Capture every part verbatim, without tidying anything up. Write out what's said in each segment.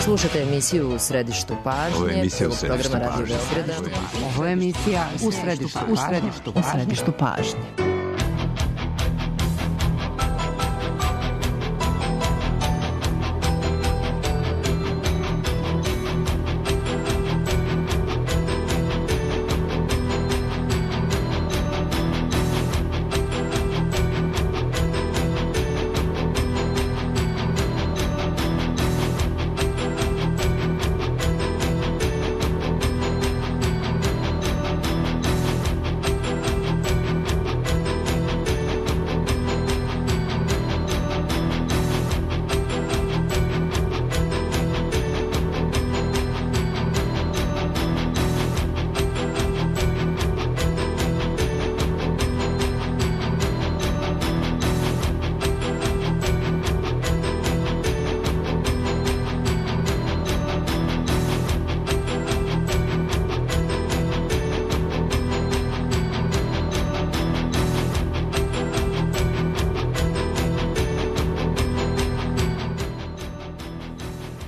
Slušate emisiju U središtu pažnje. Ovo je emisija U središtu pažnje. Ovo je emisija U središtu pažnje. U središtu pažnje.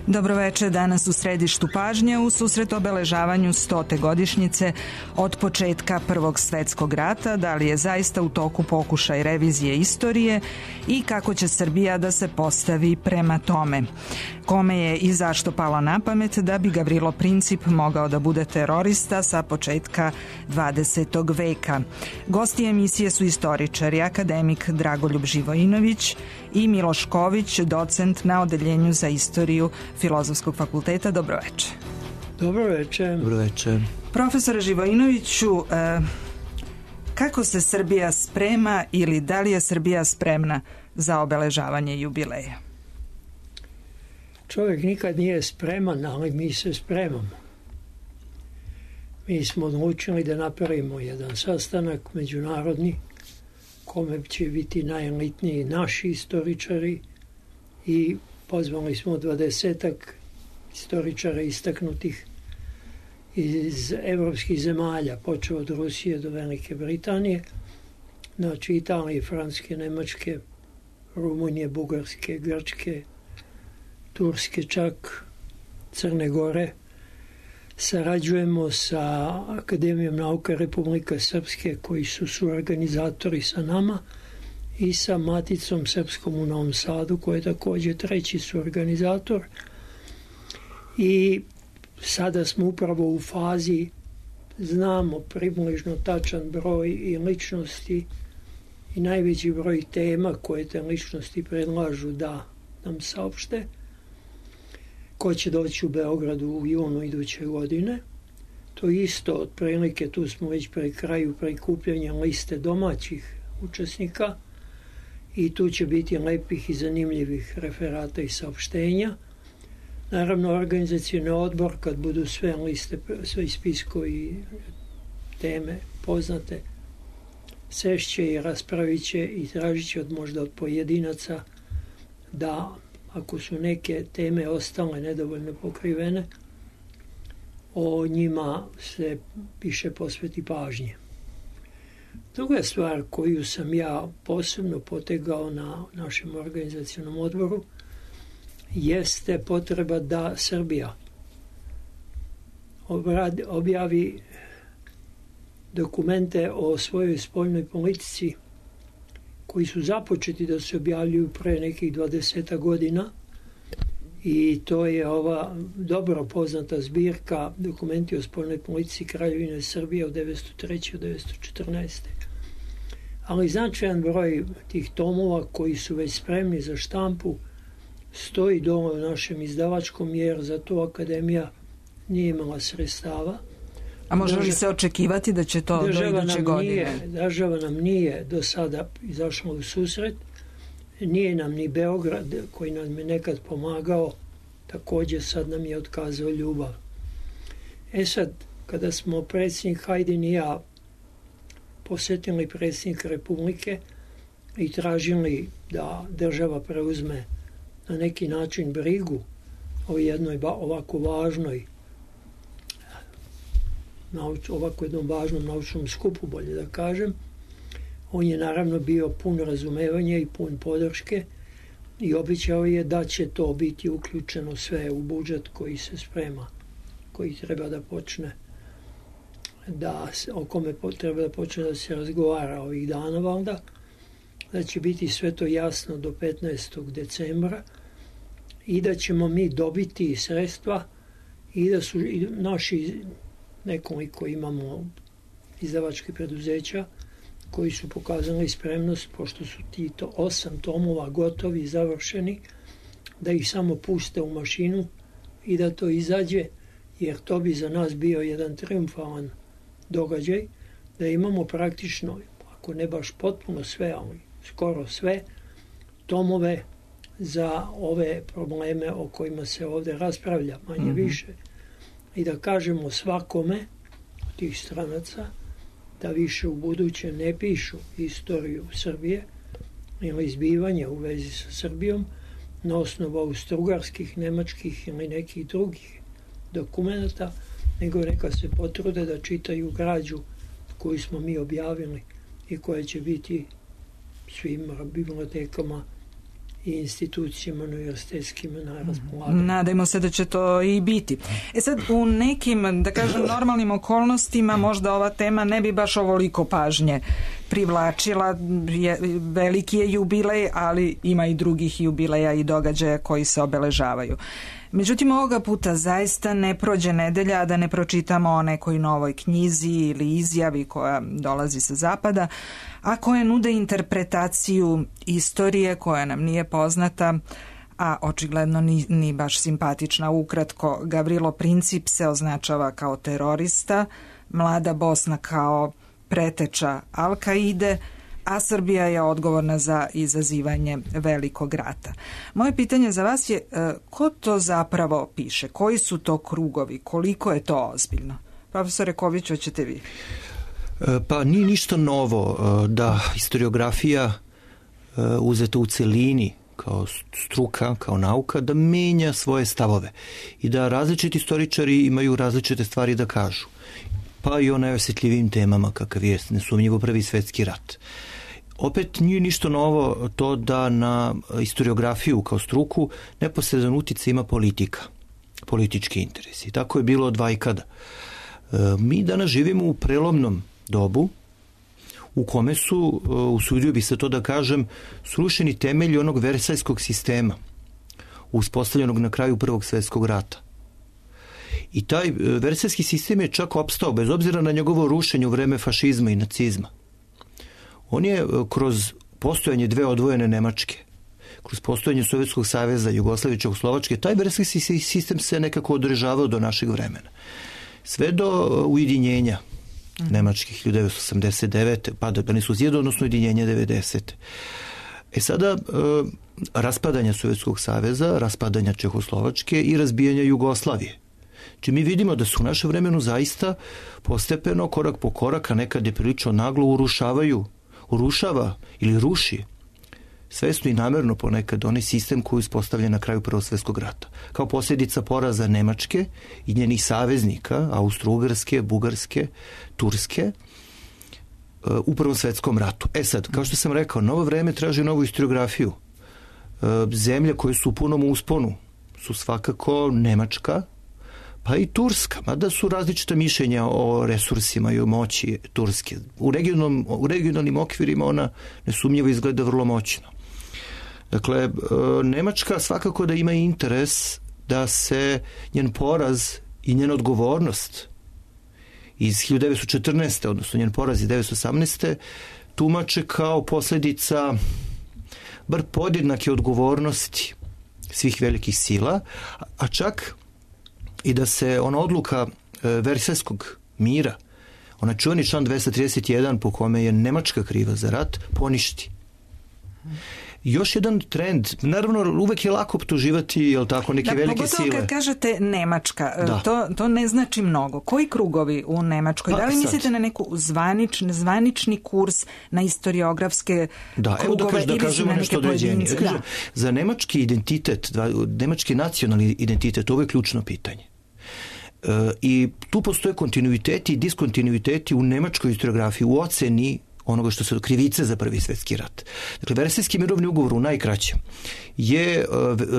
Dobroveče, danas u središtu pažnje u susret obeležavanju stote godišnjice od početka Prvog svetskog rata, da li je zaista u toku pokušaj revizije istorije i kako će Srbija da se postavi prema tome. Kome je i zašto palo na pamet da bi Gavrilo Princip mogao da bude terorista sa početka dvadesetog veka. Gosti emisije su istoričari, akademik Dragoljub Živojinović i Miloš Ković, docent na Odeljenju za istoriju Filozofskog fakulteta. Dobroveče. Dobroveče. Dobroveče. Profesore Živojinoviću, eh, kako se Srbija sprema ili da li je Srbija spremna za obeležavanje jubileja? Čovjek nikad nije spreman, ali mi se spremamo. Mi smo odlučili da napravimo jedan sastanak međunarodni kome će biti najelitniji naši istoričari i pozvali smo dvadesetak istoričara istaknutih iz evropskih zemalja, počeo od Rusije do Velike Britanije, znači Italije, Francuske, Nemačke, Rumunije, Bugarske, Grčke, Turske, čak Crne Gore. Sarađujemo sa Akademijom nauka Republike Srpske koji su suorganizatori sa nama i sa Maticom Srpskom u Novom Sadu koji je također treći suorganizator. I sada smo upravo u fazi, znamo približno tačan broj i ličnosti i najveći broj tema koje te ličnosti predlažu da nam saopšte. Ko će doći u Beogradu u junu iduće godine. To isto, otprilike, tu smo već pri kraju prikupljanja liste domaćih učesnika i tu će biti lepih i zanimljivih referata i saopštenja. Naravno, organizacioni odbor, kad budu sve liste, sve spiskovi i teme poznate, sešće i raspravit će i tražit će od možda od pojedinaca da, ako su neke teme ostale nedovoljno pokrivene, o njima se više posveti pažnje. Druga stvar koju sam ja posebno potegao na našem organizacionom odboru jeste potreba da Srbija obradi, objavi dokumente o svojoj spoljnoj politici koji su započeti da se objavljuju pre nekih dvadeset godina i to je ova dobro poznata zbirka Dokumenti o spoljnoj politici Kraljevine Srbije od devetsto treće do devetsto četrnaeste. Ali značajan broj tih tomova koji su već spremni za štampu stoji dole u našem izdavačkom jer za to Akademija nije imala sredstava. A može li se očekivati da će to do iduće godine? Država nam nije do sada izašla u susret. Nije nam ni Beograd, koji nam je nekad pomagao, također sad nam je otkazao ljubav. E sad, kada smo predsjednik Hajdin i ja posjetili predsjednika Republike i tražili da država preuzme na neki način brigu o jednoj ovako važnoj ovako jednom važnom naučnom skupu, bolje da kažem. On je naravno bio pun razumevanja i pun podrške i obećao je da će to biti uključeno sve u budžet koji se sprema, koji treba da počne, da, o kome treba da počne da se razgovara ovih dana valda, da će biti sve to jasno do petnaestog decembra i da ćemo mi dobiti sredstva i da su i naši nekoliko imamo izdavačkih preduzeća koji su pokazali spremnost, pošto su ti to osam tomova gotovi i završeni, da ih samo puste u mašinu i da to izađe, jer to bi za nas bio jedan triumfalan događaj, da imamo praktično, ako ne baš potpuno sve, ali skoro sve, tomove za ove probleme o kojima se ovde raspravlja, manje mm-hmm. više. I da kažemo svakome od tih stranaca da više u buduće ne pišu istoriju Srbije ili izbivanja u vezi sa Srbijom na osnovu austrougarskih, nemačkih ili nekih drugih dokumenta, nego neka se potrude da čitaju građu koju smo mi objavili i koja će biti svim bibliotekama i institucijama univerzitetskim na raspolaganju. Nadajmo se da će to i biti. E sad, u nekim, da kažem, normalnim okolnostima možda ova tema ne bi baš ovoliko pažnje privlačila. Je, veliki je jubilej, ali ima i drugih jubileja i događaja koji se obeležavaju. Međutim, ovoga puta zaista ne prođe nedelja da ne pročitamo o nekoj novoj knjizi ili izjavi koja dolazi sa zapada, a koje nude interpretaciju istorije koja nam nije poznata, a očigledno ni, ni baš simpatična. Ukratko, Gavrilo Princip se označava kao terorista, Mlada Bosna kao preteča Al-Kaide, a Srbija je odgovorna za izazivanje velikog rata. Moje pitanje za vas je ko to zapravo piše? Koji su to krugovi? Koliko je to ozbiljno? Profesore Ković, hoćete vi? Pa nije ništa novo da historiografija uzeta u celini kao struka, kao nauka, da menja svoje stavove i da različiti istoričari imaju različite stvari da kažu. Pa i o najosjetljivim temama kakav je nesumnjivo Prvi svetski rat. Opet nije ništa novo to da na historiografiju kao struku neposredan uticaj ima politika, politički interesi. Tako je bilo od vajkada. Mi danas živimo u prelomnom dobu u kome su, usudio bi se to da kažem, srušeni temelji onog versajskog sistema uspostavljenog na kraju Prvog svetskog rata. I taj versajski sistem je čak opstao bez obzira na njegovo rušenje u vreme fašizma i nacizma. On je kroz postojanje dve odvojene Nemačke, kroz postojanje Sovjetskog saveza, Jugoslavije, Čehoslovačke, taj versajski sistem se nekako održavao do našeg vremena. Sve do ujedinjenja nemačkih hiljadu devetsto osamdeset devete. pa da nisu zjedo, odnosno ujedinjenja devedesete. E sada, raspadanja Sovjetskog saveza, raspadanja Čehoslovačke i razbijanja Jugoslavije. Či mi vidimo da su u našem vremenu zaista postepeno, korak po korak, a nekad je prilično naglo urušavaju, urušava ili ruši svesno i namerno ponekad onaj sistem koji je uspostavljen na kraju Prvog svjetskog rata. Kao posljedica poraza Nemačke i njenih saveznika, Austro-Ugarske, Bugarske, Turske, u Prvom svjetskom ratu. E sad, kao što sam rekao, novo vreme traži novu historiografiju. Zemlje koje su u punom usponu su svakako Nemačka, pa i Turska, mada su različita mišljenja o resursima i o moći Turske. U, regionalnom, u regionalnim okvirima ona nesumnjivo izgleda vrlo moćno. Dakle, Nemačka svakako da ima interes da se njen poraz i njena odgovornost iz hiljadu devetsto četrnaeste. odnosno njen poraz iz devetsto osamnaeste. tumače kao posljedica bar podjednake odgovornosti svih velikih sila, a čak i da se ona odluka Versajskog mira, ona čuveni član dvesta trideset jedan po kome je Nemačka kriva za rat, poništi. Još jedan trend, naravno uvek je lako optuživati, jel tako, neke da, velike sile. Pogotovo kad kažete Nemačka, to, to ne znači mnogo. Koji krugovi u Nemačkoj? Pa, da li sad mislite na neku zvanič, zvanični kurs, na historiografske da, krugove evo da, kaž, da ili kažemo na neke pojedince? Da. Za nemački identitet, nemački nacionalni identitet, ovo je ključno pitanje. E, I tu postoje kontinuiteti i diskontinuiteti u nemačkoj historiografiji, u oceni onoga što su krivice za Prvi svjetski rat. Dakle, Versajski mirovni ugovor u najkraćem je,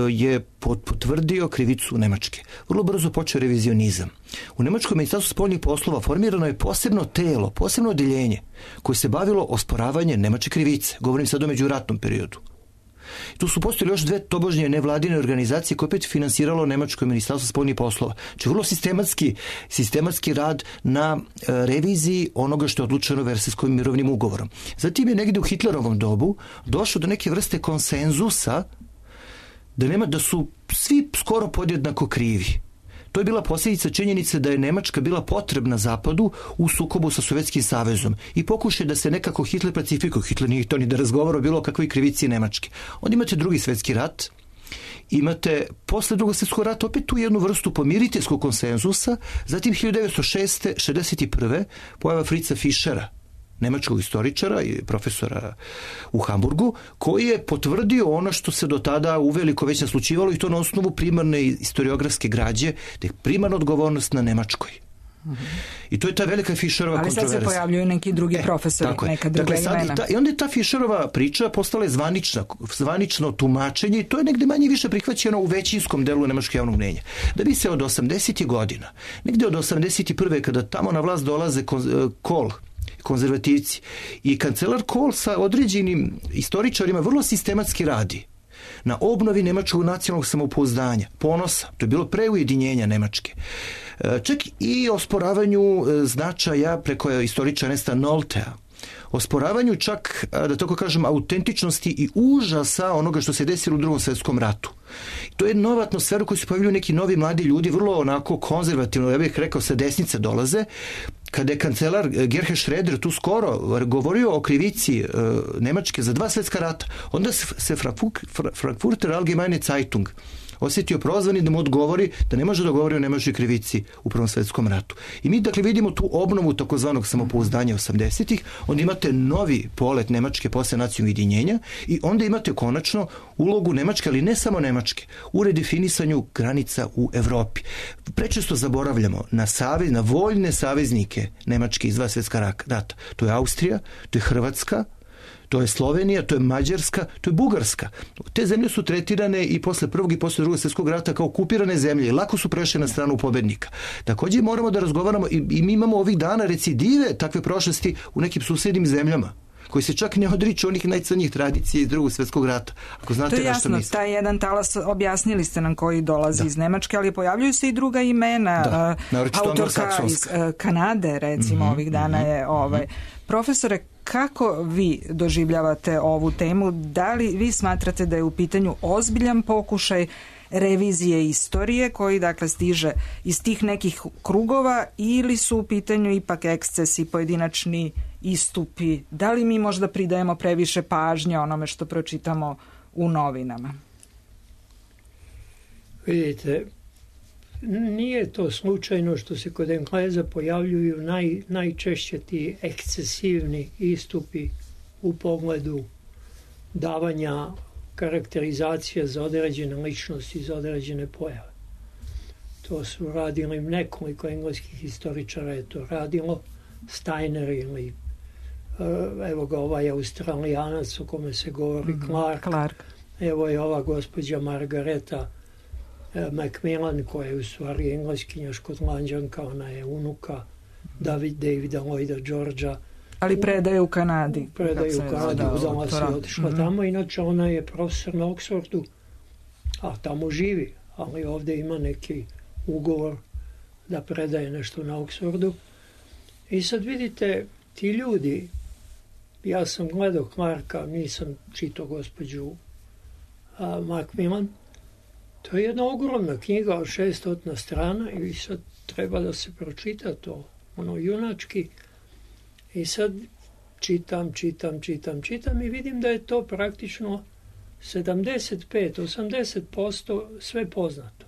je potvrdio krivicu Nemačke. Vrlo brzo počeo revizionizam. U Nemačkom ministarstvu spoljnih poslova formirano je posebno telo, posebno odeljenje koje se bavilo osporavanjem nemačke krivice. Govorim sad o međuratnom periodu. Tu su postojili još dve tobožnje nevladine organizacije koje opet finansiralo Nemačko ministarstvo spoljnih poslova. Znači vrlo sistematski, sistematski rad na e, reviziji onoga što je odlučeno Versajskim mirovnim ugovorom. Zatim je negdje u Hitlerovom dobu došlo do neke vrste konsenzusa da, nema, da su svi skoro podjednako krivi. To je bila posljedica činjenice da je Nemačka bila potrebna Zapadu u sukobu sa Sovjetskim savezom i pokušaj da se nekako Hitler pacifikuje. Hitler nije to ni da razgovara o bilo kakvoj krivici Nemačke. Onda imate Drugi svjetski rat, imate posle Drugog svjetskog rata opet tu jednu vrstu pomiriteljskog konsenzusa, zatim hiljadu devetsto šezdeset prve pojava Fritza Fischera, nemačkog istoričara i profesora u Hamburgu, koji je potvrdio ono što se do tada uveliko već naslučivalo i to na osnovu primarne historiografske građe, da je primarna odgovornost na Nemačkoj. Mm-hmm. I to je ta velika Fischerova kontroverza. Ali sad se pojavljuju neki drugi e, profesori, neka druga dakle, imena. I, ta, I onda je ta Fischerova priča postala je zvanična, zvanično tumačenje i to je negde manje više prihvaćeno u većinskom delu nemačkog javnog mnjenja. Da bi se od osamdesetih godina, negde od osamdeset prve kada tamo na vlast dolaze Kohl, konzervativci i kancelar Kohl sa određenim istoričarima vrlo sistematski radi na obnovi nemačkog nacionalnog samopouzdanja, ponosa, to je bilo pre ujedinjenja Nemačke. Čak i osporavanju značaja preko istoričara Ernesta Noltea, osporavanju čak, da tako kažem, autentičnosti i užasa onoga što se desilo u Drugom svjetskom ratu. To je nova atmosfera u kojoj se pojavljuju neki novi mladi ljudi, vrlo onako konzervativno, ja bih rekao, sa desnice dolaze. Kada je kancelar Gerhard Schröder tu skoro govorio o krivici e, Nemačke za dva svjetska rata, onda se Frankfurter Allgemeine Zeitung osjetio prozvani da mu odgovori da ne može da govori o nemačkoj krivici u Prvom svjetskom ratu. I mi dakle vidimo tu obnovu takozvanog samopouzdanja osamdesetih, onda imate novi polet Nemačke posle nacionalnog ujedinjenja i onda imate konačno ulogu Nemačke, ali ne samo Nemačke, u redefinisanju granica u Evropi. Prečesto zaboravljamo na savez, na voljne saveznike Nemačke iz dva svjetska rata. To je Austrija, to je Hrvatska, to je Slovenija, to je Mađarska, to je Bugarska. Te zemlje su tretirane i posle prvog i posle drugog svjetskog rata kao okupirane zemlje i lako su prešle na stranu pobednika. Također moramo da razgovaramo i, i mi imamo ovih dana recidive takve prošlosti u nekim susjednim zemljama koji se čak ne odriču onih najcrnjih tradicija iz Drugog svjetskog rata. Ako znate to je jasno, taj jedan talas objasnili ste nam koji dolazi da. iz Nemačke, ali pojavljuju se i druga imena. Da. Uh, autorka iz uh, Kanade, recimo, mm-hmm, ovih dana mm-hmm, je ovaj. Mm-hmm. Profesore, kako vi doživljavate ovu temu? Da li vi smatrate da je u pitanju ozbiljan pokušaj revizije istorije koji dakle stiže iz tih nekih krugova ili su u pitanju ipak ekscesi, pojedinačni istupi? Da li mi možda pridajemo previše pažnje onome što pročitamo u novinama? Vidite, nije to slučajno što se kod Engleza pojavljuju naj, najčešće ti ekscesivni istupi u pogledu davanja karakterizacija za određene ličnosti, za određene pojave. To su radili nekoliko engleskih historičara, je to radilo, Steiner ili evo ga ovaj Australijanac o kome se govori, mm-hmm. Clark. Clark. Evo je ova gospođa Margareta Macmillan, koja je u stvari engleskinja škotlanđanka, ona je unuka David, Davida Lloyda Georgea. Ali predaje u Kanadi. Predaje u Kanadi, uzala se i otišla mm-hmm. tamo. Inače, ona je profesor na Oxfordu, a tamo živi, ali ovdje ima neki ugovor da predaje nešto na Oxfordu. I sad vidite, ti ljudi, ja sam gledao Clarka, nisam čitao gospođu a, Macmillan, to je jedna ogromna knjiga od šestot strana i sad treba da se pročita to, ono junački. I sad čitam, čitam, čitam, čitam i vidim da je to praktično sedamdeset pet do osamdeset posto sve poznato.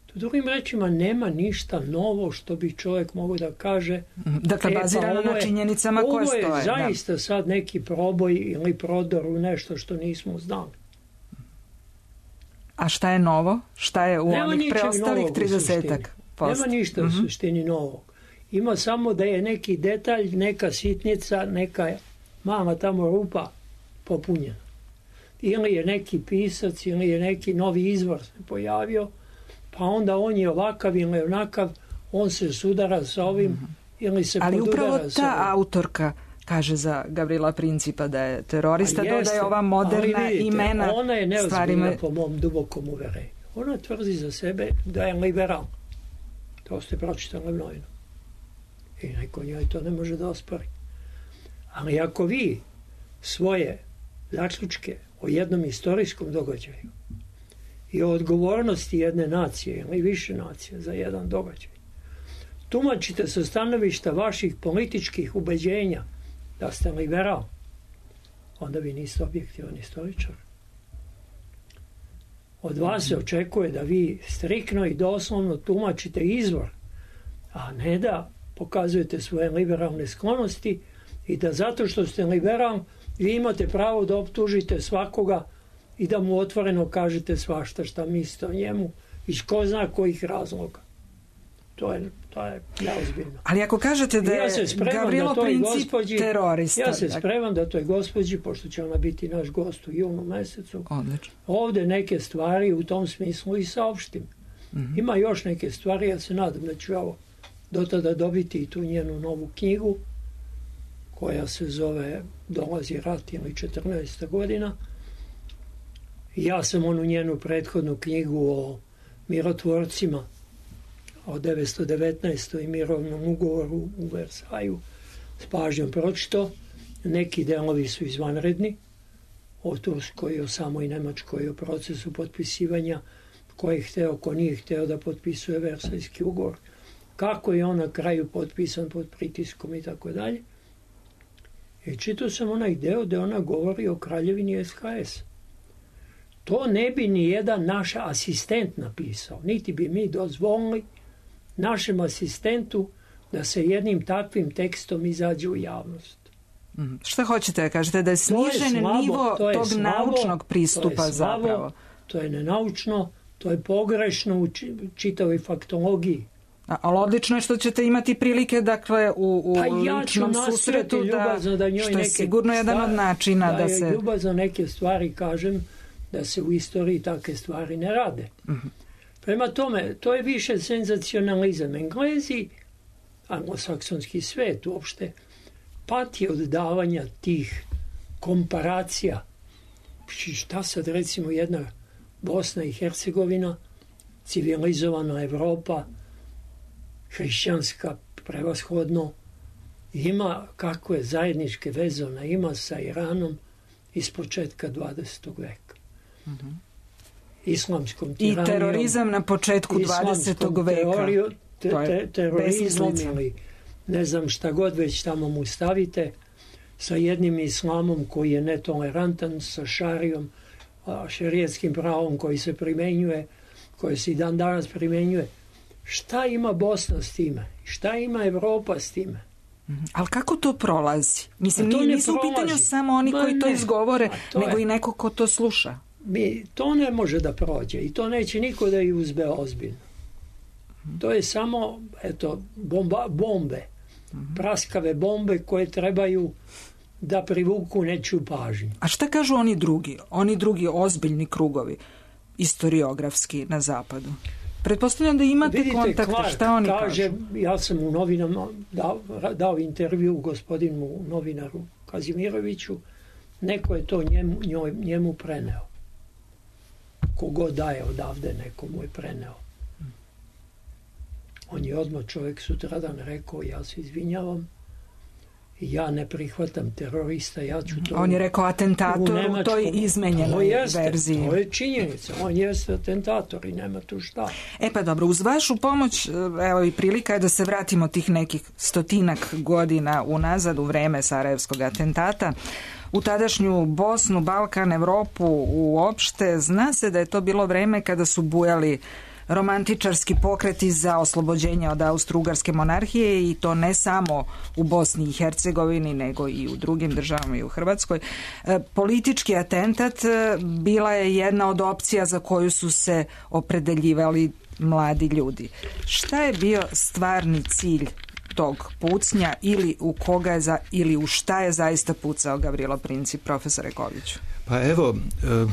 To drugim rečima nema ništa novo što bi čovjek mogao da kaže. Dakle, bazirano na činjenicama koje stoje. Ovo je zaista da. sad neki proboj ili prodor u nešto što nismo znali. A šta je novo? Šta je u nema onih preostalih tridesetak posto? Nema ništa u mm-hmm. suštini novog. Ima samo da je neki detalj, neka sitnica, neka mala tamo rupa popunjena. Ili je neki pisac, ili je neki novi izvor se pojavio, pa onda on je ovakav ili onakav, on se sudara sa ovim, mm-hmm. ili se ali podudara sa ovim. Ali upravo ta autorka kaže za Gavrila Principa da je terorista, jeste, dodaje ova moderna vidite, imena. Ona je neozbiljna stvarima... po mom dubokom uverenju. Ona tvrdi za sebe da je liberal. To ste pročitali u novinu. I neko njoj to ne može da ospori. Ali ako vi svoje zaključke o jednom istorijskom događaju i o odgovornosti jedne nacije ili više nacije za jedan događaj tumačite sa stanovišta vaših političkih ubeđenja da ste liberal, onda vi niste objektivan istoričar. Od vas se očekuje da vi striktno i doslovno tumačite izvor, a ne da pokazujete svoje liberalne sklonosti i da zato što ste liberal vi imate pravo da optužite svakoga i da mu otvoreno kažete svašta šta mislite o njemu iz ko zna kojih razloga. To je, to je neozbiljno. Ali ako kažete da je ja Gavrilo da Princip gospođi, terorista... Ja se spremam da toj gospođi, pošto će ona biti naš gost u junu mesecu, odlično, ovde neke stvari u tom smislu i saopštim. Mm-hmm. Ima još neke stvari, ja se nadam da ću ovo do tada dobiti i tu njenu novu knjigu, koja se zove Dolazi rat ili četrnaesta godina. Ja sam onu njenu prethodnu knjigu o mirotvorcima o devetsto devetnaestoj mirovnom ugovoru u Versaju s pažnjom pročito. Neki delovi su izvanredni, o Turskoj, o samoj Nemačkoj, o procesu potpisivanja, ko je hteo, ko nije hteo da potpisuje Versajski ugovor, kako je on na kraju potpisan pod pritiskom i tako dalje. I čitao sam onaj deo gde ona govori o kraljevini S H S. To ne bi ni jedan naš asistent napisao, niti bi mi dozvolili našem asistentu da se jednim takvim tekstom izađe u javnost. Mm. Šta hoćete da kažete? Da je snižen je slabo, nivo to tog slabo, naučnog pristupa to slabo, zapravo? To je nenaučno, to je pogrešno u čitavoj faktologiji. A, ali odlično je što ćete imati prilike, dakle, u, u pa ja ličnom susretu, da, da njoj što je sigurno jedan stvari, od načina da, da se... Da ljubazno neke stvari kažem, da se u istoriji takve stvari ne rade. Mm-hmm. Prema tome, to je više senzacionalizam. Englezi, anglosaksonski svet uopšte, pati od davanja tih komparacija. Šta sad recimo jedna Bosna i Hercegovina, civilizovana Evropa, hrišćanska prevashodno, ima kakve zajedničke veze ona ima sa Iranom iz početka dvadesetog veka. Mm-hmm. Islamskom tiranijom. I terorizam na početku dvadesetog veka. Teoriju, te, te, terorizmom ili ne znam šta god već tamo mu stavite, sa jednim islamom koji je netolerantan, sa šarijom, šerijetskim pravom koji se primenjuje, koji se i dan danas primenjuje. Šta ima Bosna s time? Šta ima Evropa s time? Mm-hmm. Ali kako to prolazi? Mislim, to nisu u pitanju samo oni Ma koji ne. to izgovore, to nego je. i neko ko to sluša. Mi, to ne može da prođe i to neće niko da ih uzbe ozbiljno. Mm-hmm. To je samo, eto, bomba, bombe. Mm-hmm. Praskave bombe koje trebaju da privuku nečiju pažnju. A šta kažu oni drugi? Oni drugi ozbiljni krugovi istoriografski na zapadu? Pretpostavljam da imate Vidite, kontakte, Clark šta oni kaže, kažu? Ja sam u novinama dao, dao intervju gospodinu novinaru Kazimiroviću, neko je to njemu, njoj, njemu preneo. Kogo daje odavde, neko mu je preneo. On je odmah čovjek sutradan rekao, ja se izvinjavam, ja ne prihvatam terorista, ja ću to... On je rekao atentator u, u toj izmenjenoj jeste, verziji. To je činjenica, on jeste atentator i nema tu šta. E pa dobro, uz vašu pomoć, evo i prilika je da se vratimo tih nekih stotinak godina unazad u vreme Sarajevskog atentata. U tadašnju Bosnu, Balkan, Evropu uopšte, zna se da je to bilo vreme kada su bujali romantičarski pokreti za oslobođenje od Austro-Ugarske monarhije i to ne samo u Bosni i Hercegovini nego i u drugim državama i u Hrvatskoj. E, politički atentat bila je jedna od opcija za koju su se opredeljivali mladi ljudi. Šta je bio stvarni cilj tog pucnja ili u koga je za, ili u šta je zaista pucao Gavrilo Princip, profesore Koviću? Pa evo, uh,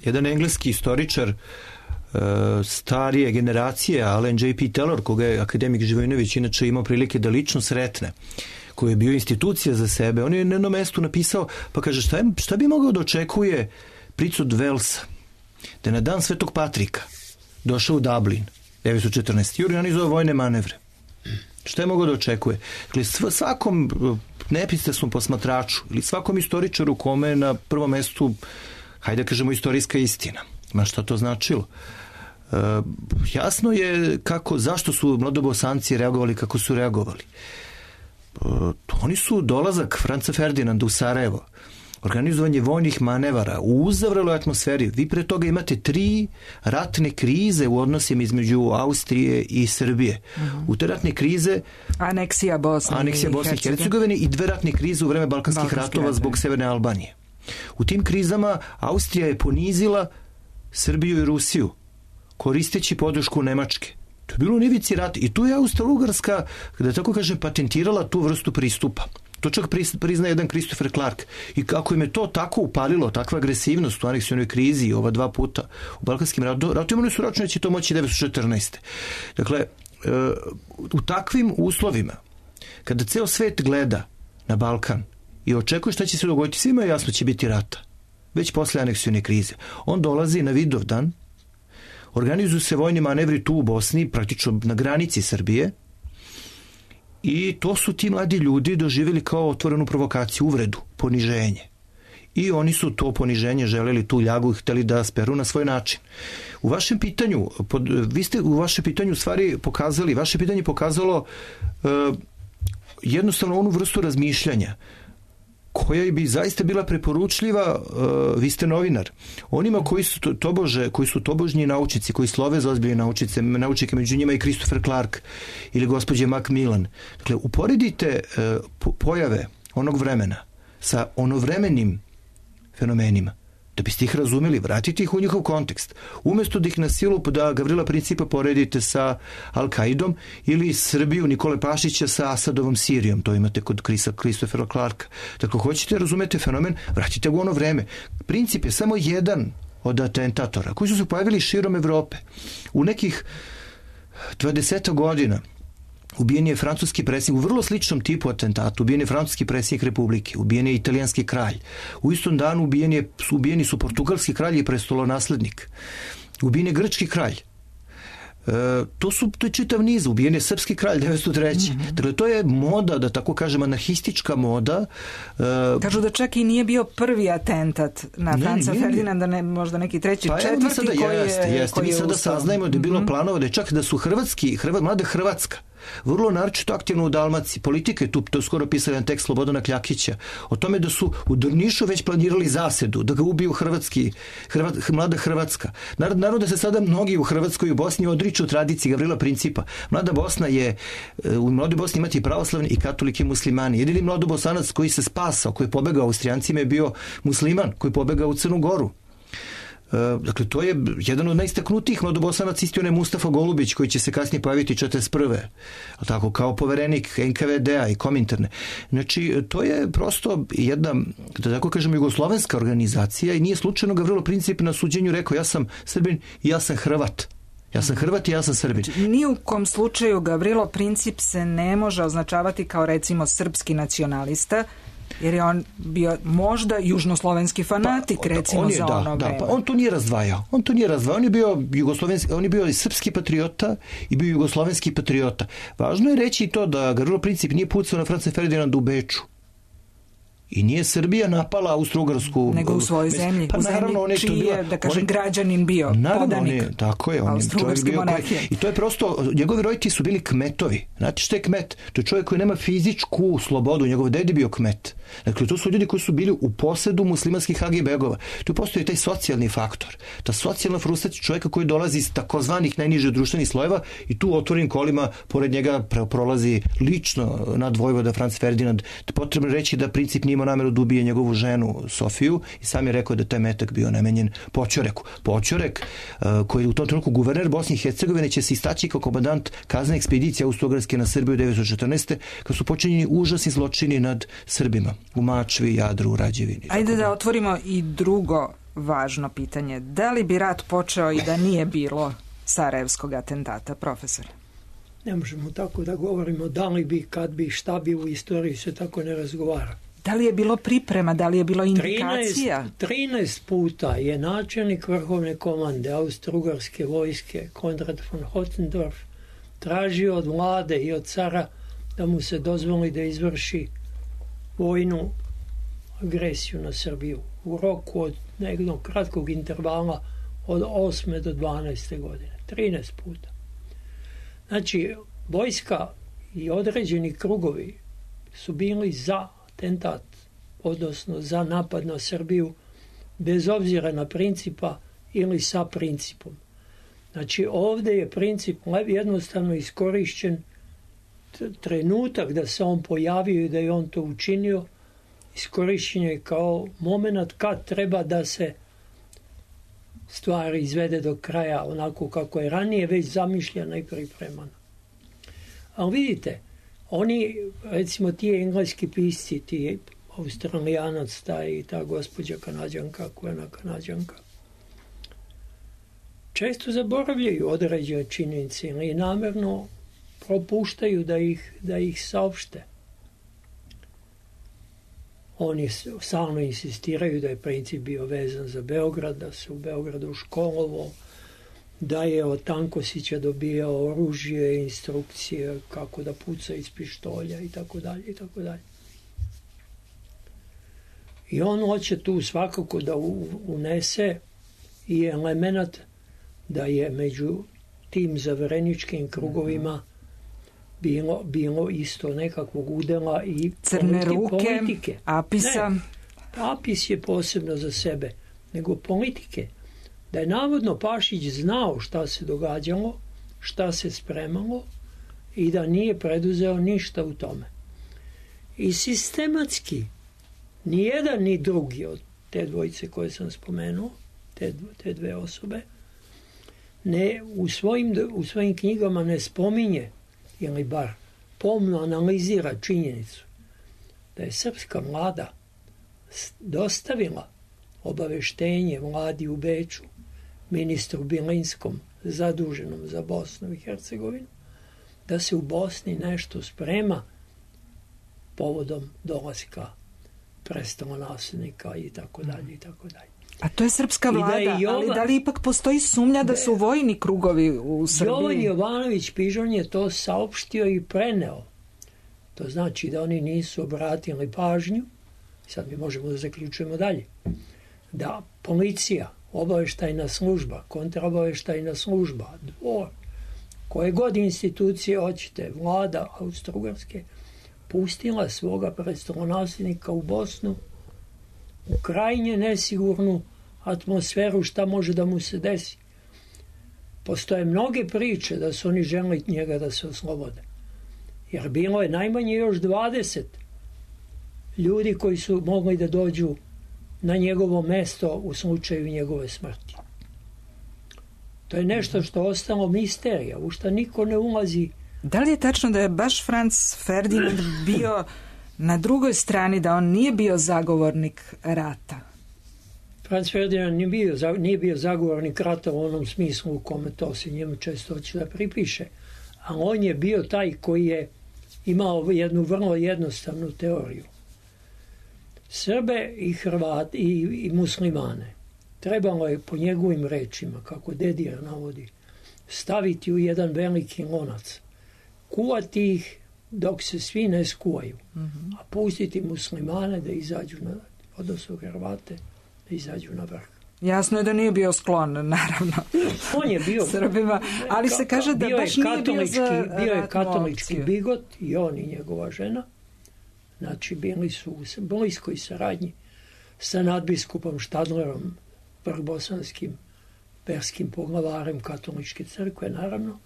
jedan engleski istoričar uh, starije generacije, Alan J P Taylor, koga je akademik Živojinović inače imao prilike da lično sretne, koji je bio institucija za sebe, on je na jednom mestu napisao, pa kaže, šta, je, šta bi mogao da očekuje Princ od Velsa, da je na dan Svetog Patrika došao u Dublin devetsto četrnaeste. i organizovao vojne manevre. Šta je mogao da očekuje? Dakle, svakom nepristrasnom posmatraču ili svakom istoričaru kome na prvom mestu, hajde da kažemo, istorijska istina. Ma šta to značilo? E, jasno je kako, zašto su mladobosanci reagovali kako su reagovali. E, oni su dolazak Franca Ferdinanda u Sarajevo, organizovanje vojnih manevara u uzavreloj atmosferi. Vi pre toga imate tri ratne krize u odnosima između Austrije i Srbije. Uh-huh. U te ratne krize aneksija Bosne, aneksija Bosne i Hercegovine i dve ratne krize u vreme Balkanskih Balkanski ratova ratove. Zbog Severne Albanije. U tim krizama Austrija je ponizila Srbiju i Rusiju koristeći podršku Nemačke. To je bilo u ivici rata i tu je Austro-Ugarska, da tako kažem, patentirala tu vrstu pristupa. To čak prizna jedan Christopher Clark. I kako im je to tako upalilo, takva agresivnost u aneksionoj krizi ova dva puta u Balkanskim ratovima, oni su računali da će to moći devetsto četrnaeste. Dakle, u takvim uslovima, kada ceo svet gleda na Balkan i očekuje šta će se dogoditi, svima je jasno će biti rata. Već posle aneksione krize. On dolazi na Vidovdan, organizuju se vojni manevri tu u Bosni, praktično na granici Srbije, i to su ti mladi ljudi doživjeli kao otvorenu provokaciju, uvredu, poniženje. I oni su to poniženje želeli, tu ljagu, hteli da speru na svoj način. U vašem pitanju, pod, vi ste u vašem pitanju stvari pokazali, vaše pitanje pokazalo uh, jednostavno onu vrstu razmišljanja koja bi zaista bila preporučljiva, uh, vi ste novinar, onima koji su to, tobože, koji su tobožnji naučnici, koji slove za ozbiljne naučice, naučnike, među njima i Christopher Clark ili gospođe Macmillan. Dakle, uporedite uh, pojave onog vremena sa onovremenim fenomenima, da biste ih razumeli, vratite ih u njihov kontekst. Umjesto da ih na silu da Gavrila Principa poredite sa Al-Kaidom ili Srbiju Nikole Pašića sa Asadovom Sirijom, to imate kod Krisa, Christophera Clarka. Dakle, hoćete razumete fenomen, vratite ga u ono vreme. Princip je samo jedan od atentatora koji su se pojavili širom Evrope. U nekih dvadeset godina ubijen je francuski predsjednik u vrlo sličnom tipu atentatu, ubijen je francuski predsjednik Republike, ubijen je italijanski kralj. U istom danu ubijen je, ubijeni su portugalski kralj i prestolonaslednik. Ubijen je grčki kralj. E, to su to je čitav niz. Ubijen je srpski kralj devetsto treće. Mm-hmm. Dakle, to je moda, da tako kažem, anarhistička moda. E, Kažu da čak i nije bio prvi atentat na ne, Franca nije, Ferdinanda, ne, možda neki treći, pa četvrti evo, sada, koji jeste, je jeste. Mi sada saznajemo da je bilo mm-hmm. planova da je čak da su hrvatski, hrva, mlada Hrvatska vrlo naročito aktivno u Dalmaciji. Politika je tu, to je skoro pisao jedan tekst Slobodana Kljakića, o tome da su u Drnišu već planirali zasedu, da ga ubiju hrvatski, Hrvat, mlada Hrvatska. Naravno da se sada mnogi u Hrvatskoj i u Bosni odriču tradiciji Gavrila Principa. Mlada Bosna je, u mladoj Bosni imati pravoslavni i katolike muslimani. Jedini mladobosanac koji se spasao, koji je pobegao Austrijancima, je bio musliman, koji je pobegao u Crnu Goru. Dakle, to je jedan od najistaknutijih mladobosanaca, isti onaj Mustafa Golubić, koji će se kasnije pojaviti četrdeset prve tako, kao poverenik N K V D-a i Kominterne. Znači, to je prosto jedna, da tako kažemo, jugoslovenska organizacija i nije slučajno Gavrilo Princip na suđenju rekao ja sam Srbin i ja sam Hrvat. Ja sam Hrvat i ja sam Srbin. Znači, ni u kom slučaju Gavrilo Princip se ne može označavati kao recimo srpski nacionalista, jer je on bio možda južnoslovenski fanatik, pa, recimo, on je, za da, ono da, vreme. Pa on to nije razdvajao. On to nije razdvajao. On je bio jugoslovenski, on je bio i srpski patriota i bio jugoslovenski patriota. Važno je reći i to da Gavrilo Princip nije pucao na Franca Ferdinanda u Beču. I nije Srbija napala Austro-Ugarsku. Nego u svojoj zemlji. Pa u naravno, zemlji čiji je, da kažem, on, građanin bio, naravno, podanik. On je, tako je. On je čovjek bio koji, I to je prosto, njegovi roditelji su bili kmetovi. Znate što je kmet? To je čovjek koji nema fizičku slobodu. Njegov ded je bio kmet. Dakle, to su ljudi koji su bili u posedu muslimanskih hagi begova. Tu postoji taj socijalni faktor. Ta socijalna frustracija čovjeka koji dolazi iz takozvanih najnižih društvenih slojeva i tu otvorenim kolima pored njega prolazi lično nad vojvoda Franc Ferdinand. Potrebno reći da Princip nije imao nameru da ubije njegovu ženu Sofiju i sam je rekao da taj metak bio namenjen Poćoreku. Poćorek, koji je u tom trenutku guverner Bosne i Hercegovine, će se istaći kao komandant kaznene ekspedicije Austro-Ugarske na Srbiju devetsto četrnaeste. kad su počinjeni užasni zločini nad Srbima u Mačvi, Jadru, Rađevini. Ajde da otvorimo i drugo važno pitanje. Da li bi rat počeo i da nije bilo sarajevskog atentata, profesor? Ne možemo tako da govorimo da li bi, kad bi, šta bi, u istoriji se tako ne razgovara. Da li je bilo priprema, da li je bilo indikacija? trinaest puta je načelnik vrhovne komande Austro-Ugarske vojske Konrad von Hotzendorf tražio od vlade i od cara da mu se dozvoli da izvrši vojnu agresiju na Srbiju u roku od nekog kratkog intervala od osme do dvanaeste godine. trinaest puta. Znači, vojska i određeni krugovi su bili za atentat, odnosno za napad na Srbiju, bez obzira na principa ili sa principom. Znači, ovdje je princip jednostavno iskorišćen, trenutak da se on pojavio i da je on to učinio, iskorišćen je kao moment kad treba da se stvari izvede do kraja onako kako je ranije već zamišljena i pripremana. Ali vidite, oni, recimo ti engleski pisci, ti Australijanac, taj i ta gospođa Kanađanka, Kojena Kanađanka, često zaboravljaju određene činjenice ili namjerno propuštaju da ih, da ih saopšte. Oni stalno insistiraju da je princip bio vezan za Beograd, da se u Beogradu školovo, da je od Tankosića dobijao oružje, instrukcije kako da puca iz pištolja i tako dalje i tako dalje. I on hoće tu svakako da unese i element da je među tim zavereničkim krugovima bilo, bilo isto nekakvog udela i crne politi, ruke, politike. Apisa. Ne, Apis je posebno za sebe, nego politike. Da je navodno Pašić znao šta se događalo, šta se spremalo i da nije preduzeo ništa u tome. I sistematski, ni jedan ni drugi od te dvojice koje sam spomenuo, te, te dve osobe, ne, u, svojim, u svojim knjigama ne spominje ili bar pomno analizira činjenicu da je srpska vlada dostavila obaveštenje vladi u Beču, ministru Bilinskom zaduženom za Bosnu i Hercegovinu, da se u Bosni nešto sprema povodom dolaska prestolonasljednika i tako dalje i tako dalje. A to je srpska vlada, da je Jova, ali da li ipak postoji sumnja da su vojni krugovi u Srbiji? Jovan Jovanović Pižon je to saopštio i preneo. To znači da oni nisu obratili pažnju, sad mi možemo da zaključujemo dalje, da policija, obaveštajna služba, kontraobaveštajna služba, dvor, koje god institucije hoćete, vlada Austro-Ugarske, pustila svoga prestolonasljednika u Bosnu u krajnje nesigurnu atmosferu šta može da mu se desi. Postoje mnoge priče da su oni želeli njega da se oslobode. Jer bilo je najmanje još dvadeset ljudi koji su mogli da dođu na njegovo mesto u slučaju njegove smrti. To je nešto što je ostalo misterija, u što niko ne ulazi. Da li je tačno da je baš Franz Ferdinand bio na drugoj strani, da on nije bio zagovornik rata? Franz Ferdinand nije bio, nije bio zagovornik rata u onom smislu u kome to se njemu često hoće da pripiše. A on je bio taj koji je imao jednu vrlo jednostavnu teoriju. Srbe i Hrvate i, i muslimane trebalo je po njegovim rečima, kako Dedijer navodi, staviti u jedan veliki lonac, kuvati ih dok se svi ne skuvaju, mm-hmm. a pustiti muslimane da izađu na, odnosno Hrvate da izađu na vrh. Jasno je da nije bio sklon, naravno, on je bio Srbima, ali se kaže da baš nije bio za bio je katolički bigot i on i njegova žena. Znači, bili su u bliskoj saradnji sa nadbiskupom Štadlerom, prvobosanskim perskim poglavarem katoličke crkve, naravno.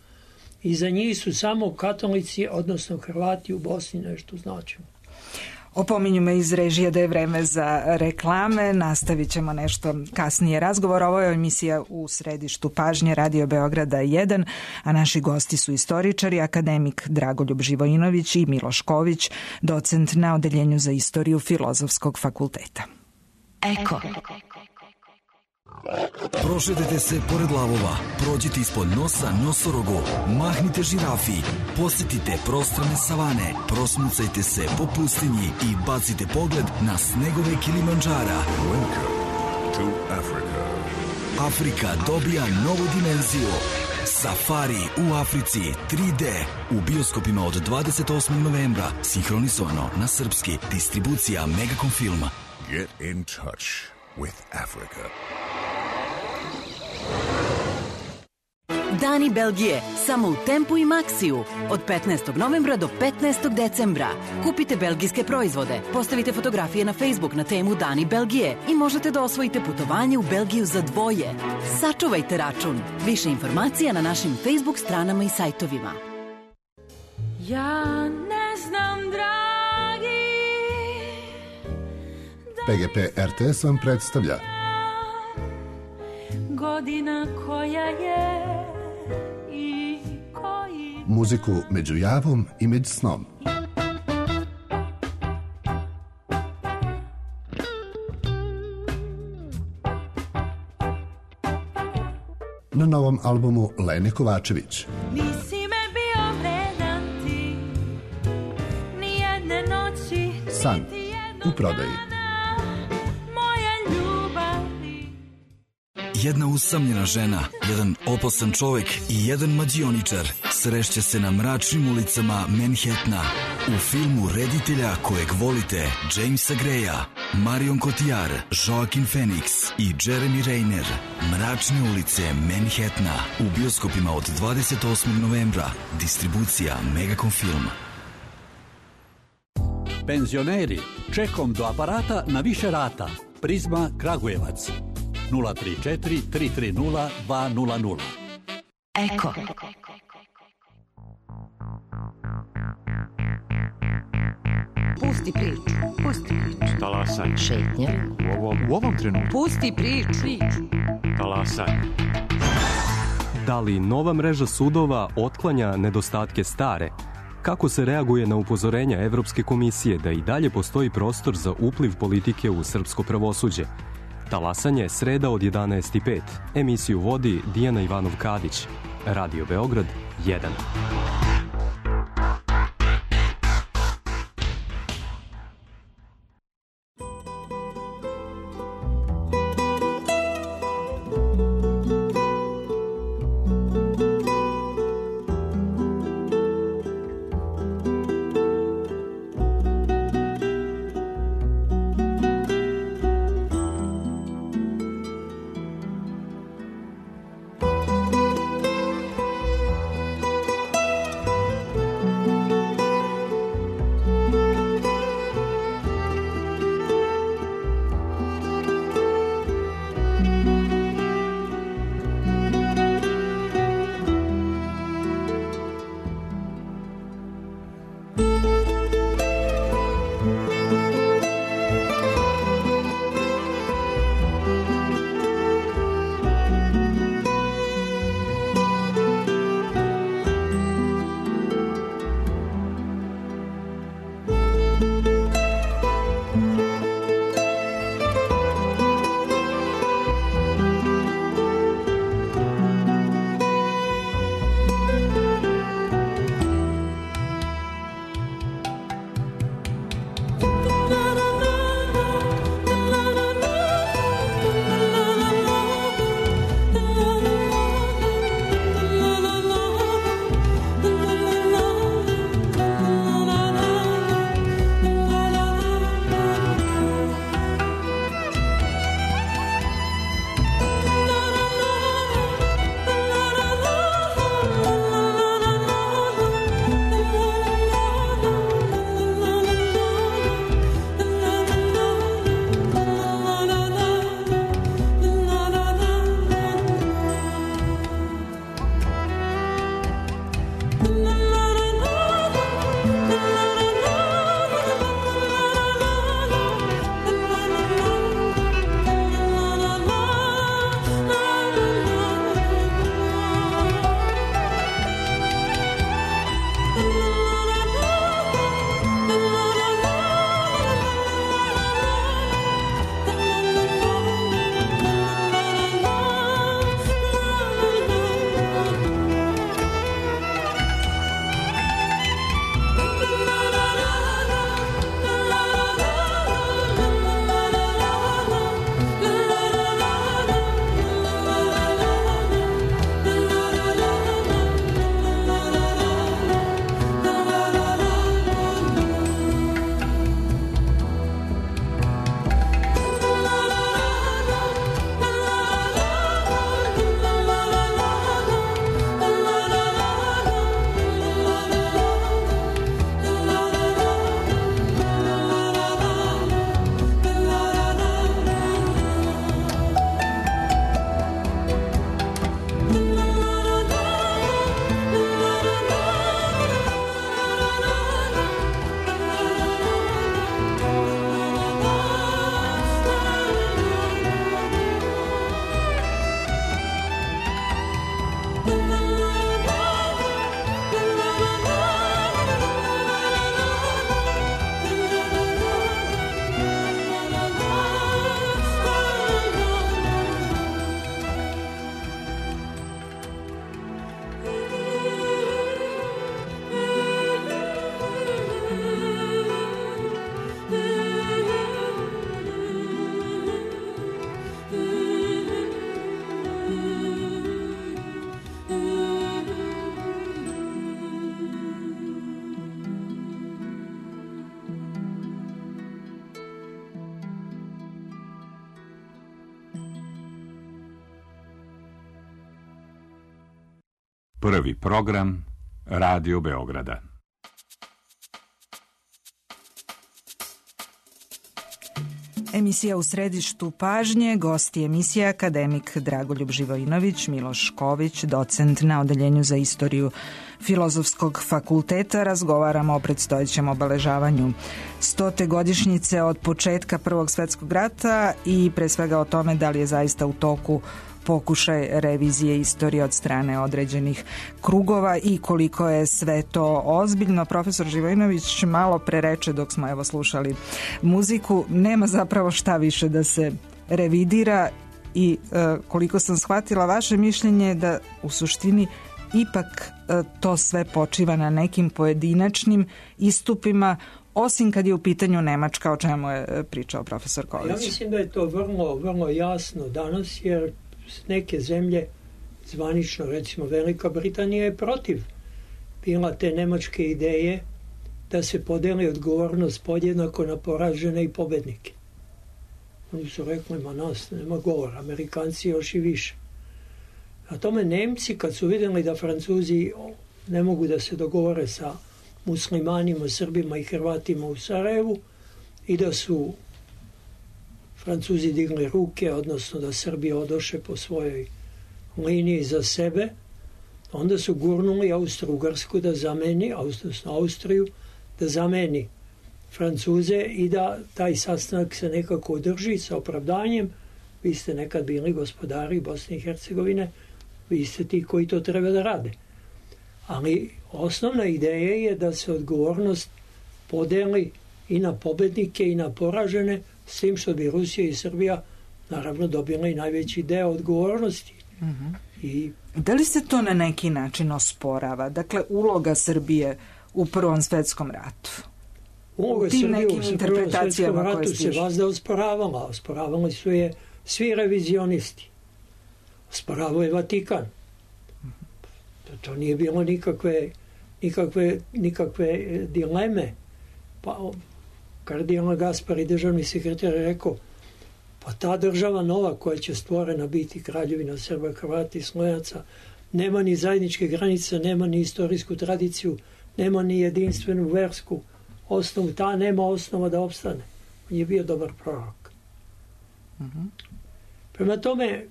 I za njih su samo katolici, odnosno Hrvati u Bosni nešto značilo. Opominju me iz režije da je vreme za reklame, nastavit ćemo nešto kasnije razgovor. Ovo je emisija U središtu pažnje Radio Beograda jedan, a naši gosti su istoričari, akademik Dragoljub Živojinović i Miloš Ković, docent na Odeljenju za istoriju Filozofskog fakulteta. Eko. Prošetajte se pored lavova, prođite ispod nosa nosorogu, mahnite žirafi, posjetite prostrane savane, prosmucajte se po pustinji i bacite pogled na snegove Kilimandžara. Welcome to Africa. Afrika dobija novu dimenziju. Safari u Africi tri D u bioskopima od dvadeset osmog novembra, sinhronizovano na srpski, distribucija Megacom Filma. Get in touch with Africa. Dani Belgije, samo u Tempu i Maxiju. Od petnaestog novembra do petnaestog decembra. Kupite belgijske proizvode, postavite fotografije na Facebook na temu Dani Belgije i možete da osvojite putovanje u Belgiju za dvoje. Sačuvajte račun. Više informacija na našim Facebook stranama i sajtovima. Ja ne znam, dragi. P G P R T S vam predstavlja Godina koja je i koji... muziku među javom i među snom. Na novom albumu Lene Kovačević. Nisi me bio vredan ti, ni jedne noći, San u prodaji. Jedna usamljena žena, jedan opasan čovek i jedan mađioničar srešće se na mračnim ulicama Manhattana. U filmu reditelja kojeg volite Jamesa Greya, Marion Cotillard, Joaquin Phoenix i Jeremy Renner. Mračne ulice Manhattana u bioskopima od dvadeset osmog novembra. Distribucija Megacom Film. Penzioneri, čekom do aparata na više rata. Prizma Kragujevac. nula tri četiri tri tri nula dva nula nula. Eko. Pusti priču. Pusti priču. Talasaj. Šetnja. U ovom, u ovom trenutku. Pusti priču. Talasaj. Da li nova mreža sudova otklanja nedostatke stare? Kako se reaguje na upozorenja Evropske komisije da i dalje postoji prostor za upliv politike u srpsko pravosuđe? Talasanje, sreda od jedanaest i pet. Emisiju vodi Dijana Ivanov-Kadić. Radio Beograd jedan. Prvi program Radio Beograda. Emisija U središtu pažnje, gosti emisije akademik Dragoljub Živojinović, Miloš Ković, docent na Odeljenju za istoriju Filozofskog fakulteta. Razgovaramo o predstojećem obeležavanju stote godišnjice od početka Prvog svetskog rata i pre svega o tome da li je zaista u toku pokušaj revizije istorije od strane određenih krugova i koliko je sve to ozbiljno. Profesor Živojinović malo pre reče dok smo evo slušali muziku, nema zapravo šta više da se revidira i e, koliko sam shvatila vaše mišljenje da u suštini ipak e, to sve počiva na nekim pojedinačnim istupima, osim kad je u pitanju Nemačka, o čemu je pričao profesor Ković. Ja mislim da je to vrlo, vrlo jasno danas, jer neke zemlje, zvanično recimo Velika Britanija je protiv bila te nemačke ideje da se podeli odgovornost podjednako na poražene i pobednike. Oni su rekli, ma nas nema govora, Amerikanci još i više. A tome Nemci, kad su vidjeli da Francuzi ne mogu da se dogovore sa muslimanima, Srbima i Hrvatima u Sarajevu i da su Francuzi digli ruke, odnosno da Srbija odoše po svojoj liniji za sebe, onda su gurnuli Austro-Ugarsku da zameni, odnosno Austriju, da zameni Francuze i da taj sastanak se nekako održi sa opravdanjem. Vi ste nekad bili gospodari Bosne i Hercegovine, vi ste ti koji to treba da rade. Ali osnovna ideja je da se odgovornost podeli i na pobednike i na poražene, s tim što bi Rusija i Srbija naravno dobila i najveći deo odgovornosti. Uh-huh. I da li se to na neki način osporava? Dakle, uloga Srbije u Prvom svetskom ratu? Uloga Srbije u Prvom svetskom ratu se vazda osporavala. Osporavali su je svi revizionisti. Osporavao je Vatikan. Uh-huh. To nije bilo nikakve, nikakve, nikakve dileme. Pa kardinal Gaspari, državni sekretar, je rekao, pa ta država nova koja će stvorena biti Kraljevina Srba, Hrvata i Slovenaca, nema ni zajedničke granice, nema ni istorijsku tradiciju, nema ni jedinstvenu versku osnovu, ta nema osnova da opstane. On je bio dobar prorok. Uh-huh. Prema tome,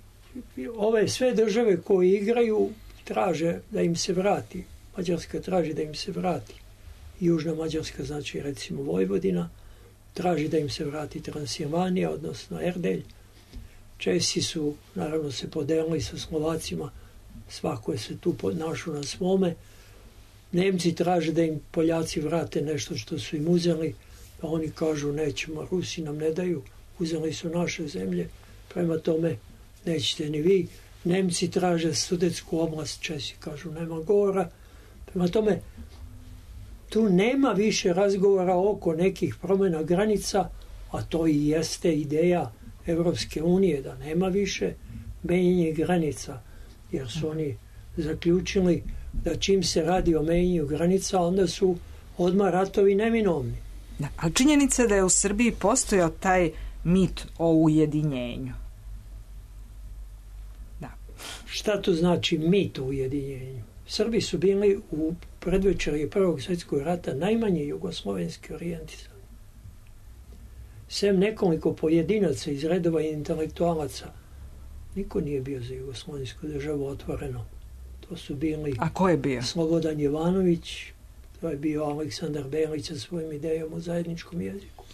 ove sve države koje igraju traže da im se vrati. Mađarska traži da im se vrati. Južna Mađarska, znači recimo Vojvodina, traži da im se vrati Transilvanija, odnosno Erdelj. Česi su, naravno, se podelili sa Slovacima, svako je se tu našao na svome. Nemci traže da im Poljaci vrate nešto što su im uzeli, pa oni kažu nećemo, Rusi nam ne daju, uzeli su naše zemlje, prema tome nećete ni vi. Nemci traže Sudetsku oblast, Česi kažu nema govora, prema tome tu nema više razgovora oko nekih promjena granica, a to i jeste ideja Evropske unije, da nema više menjanje granica, jer su oni zaključili da čim se radi o menjanju granica, onda su odmah ratovi neminovni. Da, ali činjenica da je u Srbiji postojao taj mit o ujedinjenju. Da. Šta to znači mit o ujedinjenju? Srbi su bili u predvečerje Prvog svjetskog rata najmanje jugoslovenski orijentisani. Sem nekoliko pojedinaca iz redova intelektualaca, niko nije bio za jugoslovensku državu otvoreno. To su bili... A ko je bio? Slobodan Jovanović, to je bio Aleksandar Belić sa svojim idejom o zajedničkom jeziku.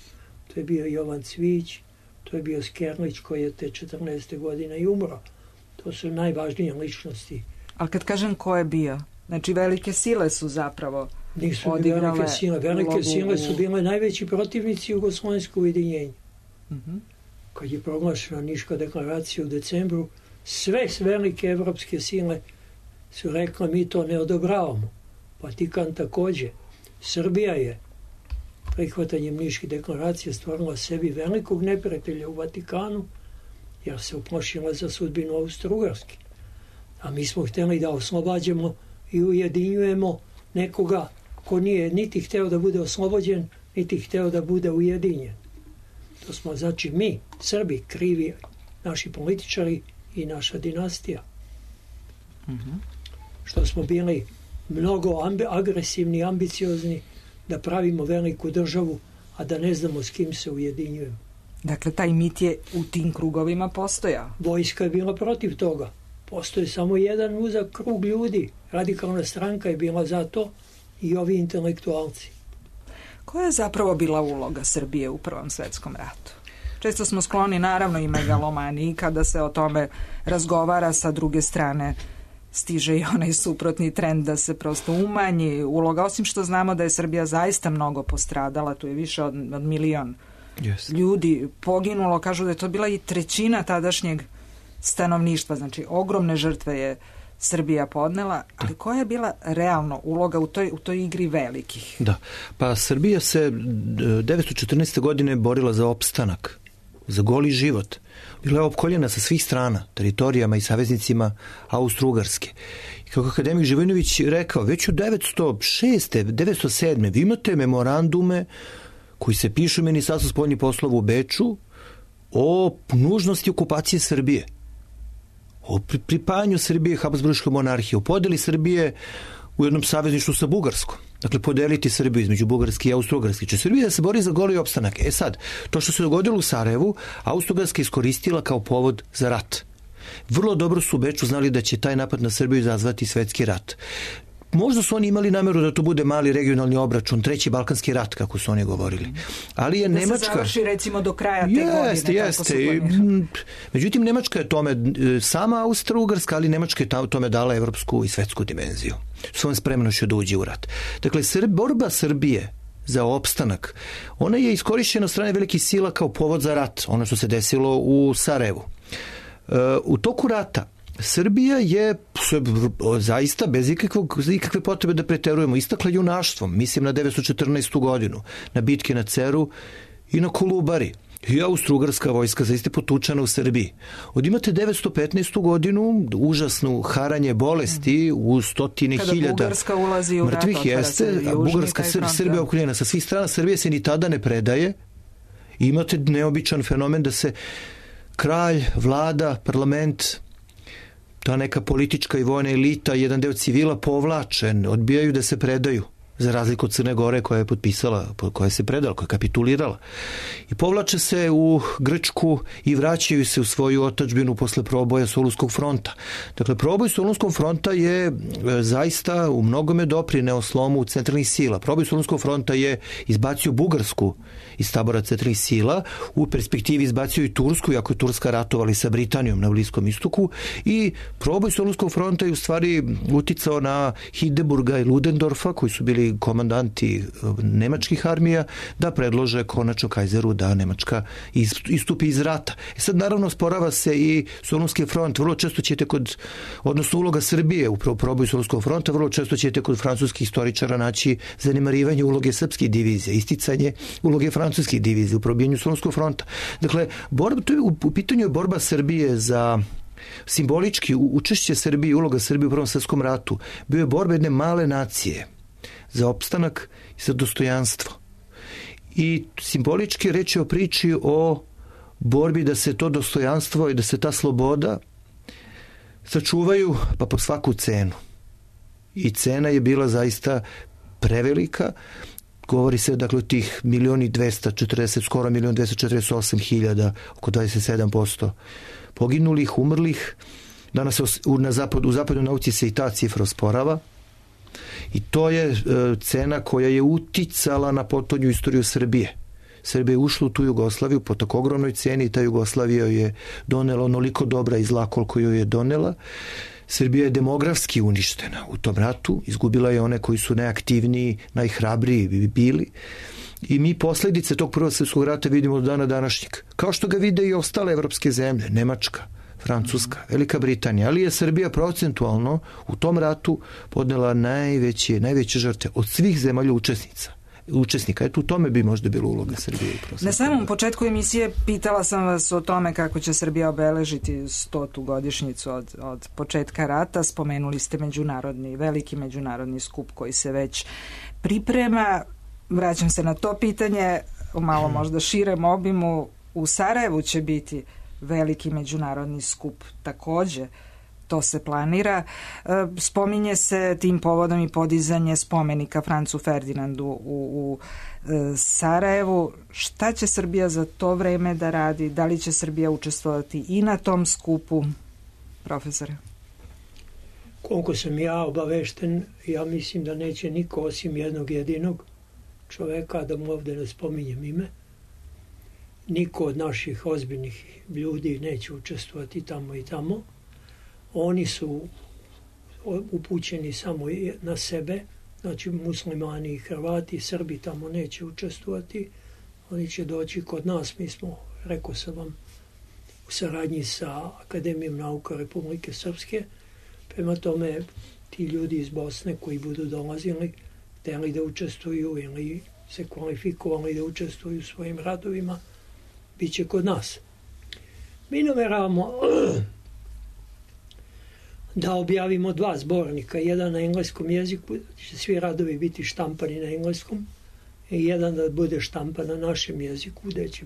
To je bio Jovan Cvić, to je bio Skerlić koji je te četrnaeste godine i umro. To su najvažnije ličnosti. Ali kad kažem ko je bio, znači velike sile su zapravo Nisu odigrale velike sile. Velike ulogu... sile su bile najveći protivnici jugoslovenskog ujedinjenja. Uh-huh. Kad je proglašena Niška deklaracija u decembru, sve velike evropske sile su rekla mi to ne odobravamo. Vatikan također. Srbija je prihvatanjem Niške deklaracije stvorila sebi velikog neprijatelja u Vatikanu, jer se uplašila za sudbinu Austro-Ugarske. A mi smo htjeli da oslobađamo i ujedinjujemo nekoga ko nije niti hteo da bude oslobođen, niti hteo da bude ujedinjen. To smo, znači, mi, Srbi, krivi, naši političari i naša dinastija. Mm-hmm. što smo bili mnogo ambi, agresivni, ambiciozni, da pravimo veliku državu, a da ne znamo s kim se ujedinjujemo. Dakle, taj mit je u tim krugovima postojao. Vojska je bila protiv toga. Postoji samo jedan uzak krug ljudi. Radikalna stranka je bila za to i ovi intelektualci. Koja je zapravo bila uloga Srbije u Prvom svetskom ratu? Često smo skloni, naravno, i megalomaniji kada se o tome razgovara, sa druge strane stiže i onaj suprotni trend da se prosto umanji uloga, osim što znamo da je Srbija zaista mnogo postradala, tu je više od, od milion yes. ljudi poginulo, kažu da je to bila i trećina tadašnjeg stanovništva, znači ogromne žrtve je Srbija podnela, ali koja je bila realno uloga u toj, u toj igri velikih? Da, pa Srbija se devetsto četrnaeste. godine borila za opstanak, za goli život. Bila je opkoljena sa svih strana, teritorijama i saveznicima Austro-Ugarske. I kako akademik Živojinović rekao, već u devetsto šeste. devetsto sedme. vi imate memorandume koji se pišu u Ministarstvu spoljnih poslova u Beču o nužnosti okupacije Srbije, o pripajanju Srbije Habsburškoj monarhiji, o podeli Srbije u jednom savezništvu sa Bugarskom. Dakle, podeliti Srbiju između Bugarske i Austro-Ugarske. Če Srbija da se bori za goli opstanak. E sad, to što se dogodilo u Sarajevu, Austro-Ugarska iskoristila kao povod za rat. Vrlo dobro su u Beču znali da će taj napad na Srbiju izazvati svetski rat. Možda su oni imali nameru da to bude mali regionalni obračun, treći balkanski rat, kako su oni govorili. Ali je da Nemačka... Da se završi recimo do kraja te jeste, godine. Jeste, jeste. Međutim, Nemačka je tome, sama Austro-Ugarska, ali Nemačka je tome dala evropsku i svetsku dimenziju. Svojom spremnošću da uđe u rat. Dakle, Srb, borba Srbije za opstanak, ona je iskorišćena od strane velikih sila kao povod za rat, ono što se desilo u Sarajevu. U toku rata Srbija je zaista bez ikakvog, ikakve potrebe da preterujemo istakla junaštvom, mislim na devetsto četrnaestu. godinu, na bitke na Ceru i na Kolubari. I Austro-Ugarska vojska zaista potučena u Srbiji. Od imate devetsto petnaestu. godinu, užasnu haranje bolesti u stotine kada hiljada Bugarska ulazi u mrtvih rat, jeste, a Bugarska Srb, Srbija okuljena sa svih strana, Srbija se ni tada ne predaje. I imate neobičan fenomen da se kralj, vlada, parlament, ta neka politička i vojna elita, jedan deo civila povlačen, odbijaju da se predaju, za razliku od Crne Gore koja je potpisala, koja se predala, koja je kapitulirala. I povlače se u Grčku i vraćaju se u svoju otadžbinu posle proboja Solunskog fronta. Dakle, proboj Solunskog fronta je zaista u mnogome doprineo slomu centralnih sila. Proboj Solunskog fronta je izbacio Bugarsku iz tabora centralnih sila, u perspektivi izbacio i Tursku, iako je Turska ratovali sa Britanijom na Bliskom istoku, i proboj Solunskog fronta je u stvari uticao na Hindenburga i Ludendorfa, koji su bili komandanti nemačkih armija, da predlože konačno kajzeru da Nemačka istupi iz rata. E sad, naravno, sporava se i Solunski front. Vrlo često ćete kod, odnosno uloga Srbije u proboju Solunskog fronta, vrlo često ćete kod francuskih istoričara naći zanemarivanje uloge srpskih divizija, isticanje uloge francuskih divizija u probijanju Solunskog fronta. Dakle, borba, to je, u, u pitanju je borba Srbije za simbolički učešće Srbije, uloga Srbije u Prvom svetskom ratu. Bio je borba jedne male nacije za opstanak i za dostojanstvo. I simbolički reč je o priči o borbi da se to dostojanstvo i da se ta sloboda sačuvaju pa po svaku cenu. I cena je bila zaista prevelika. Govori se, dakle, o tih milioni dvesta četrdeset, skoro milion dvesta četrdeset osam hiljada, oko dvadeset sedam posto poginulih, umrlih. Danas se na zapadu, u zapadnoj nauci se i ta cifra osporava. I to je e, cena koja je uticala na potonju istoriju Srbije. Srbija je ušla u tu Jugoslaviju po tako ogromnoj ceni i ta Jugoslavija je donela onoliko dobra i zla koliko joj je donela. Srbija je demografski uništena u tom ratu, izgubila je one koji su najaktivniji, najhrabriji bili. I mi posljedice tog Prvog svjetskog rata vidimo do dana današnjeg. Kao što ga vide i ostale evropske zemlje, Nemačka, Francuska, Velika Britanija, ali je Srbija procentualno u tom ratu podnela najveće, najveće žrtve od svih zemalja učesnica. učesnika. Eto, u tome bi možda bila uloga Srbije. Na samom početku emisije pitala sam vas o tome kako će Srbija obeležiti stotu godišnjicu od, od početka rata. Spomenuli ste međunarodni, veliki međunarodni skup koji se već priprema. Vraćam se na to pitanje u malo možda širem obimu. U Sarajevu će biti veliki međunarodni skup takođe. to se planira. Spominje se tim povodom i podizanje spomenika Francu Ferdinandu u, u Sarajevu. Šta će Srbija za to vreme da radi? Da li će Srbija učestvovati i na tom skupu? Profesore? Koliko sam ja obavešten, ja mislim da neće niko osim jednog jedinog čoveka, da mu ovde ne spominjem ime, niko od naših ozbiljnih ljudi neće učestvovati tamo i tamo. Oni su upućeni samo na sebe, znači muslimani i Hrvati, Srbi tamo neće učestvovati. Oni će doći kod nas, mi smo, rekao sam vam, u saradnji sa Akademijom nauka Republike Srpske. Prema tome, ti ljudi iz Bosne koji budu dolazili, hteli da učestvuju ili se kvalifikovali da učestvuju u svojim radovima, bit će kod nas. Mi nameravamo da objavimo dva zbornika, jedan na engleskom jeziku, će svi radovi biti štampani na engleskom, i jedan da bude štampan na našem jeziku, gde će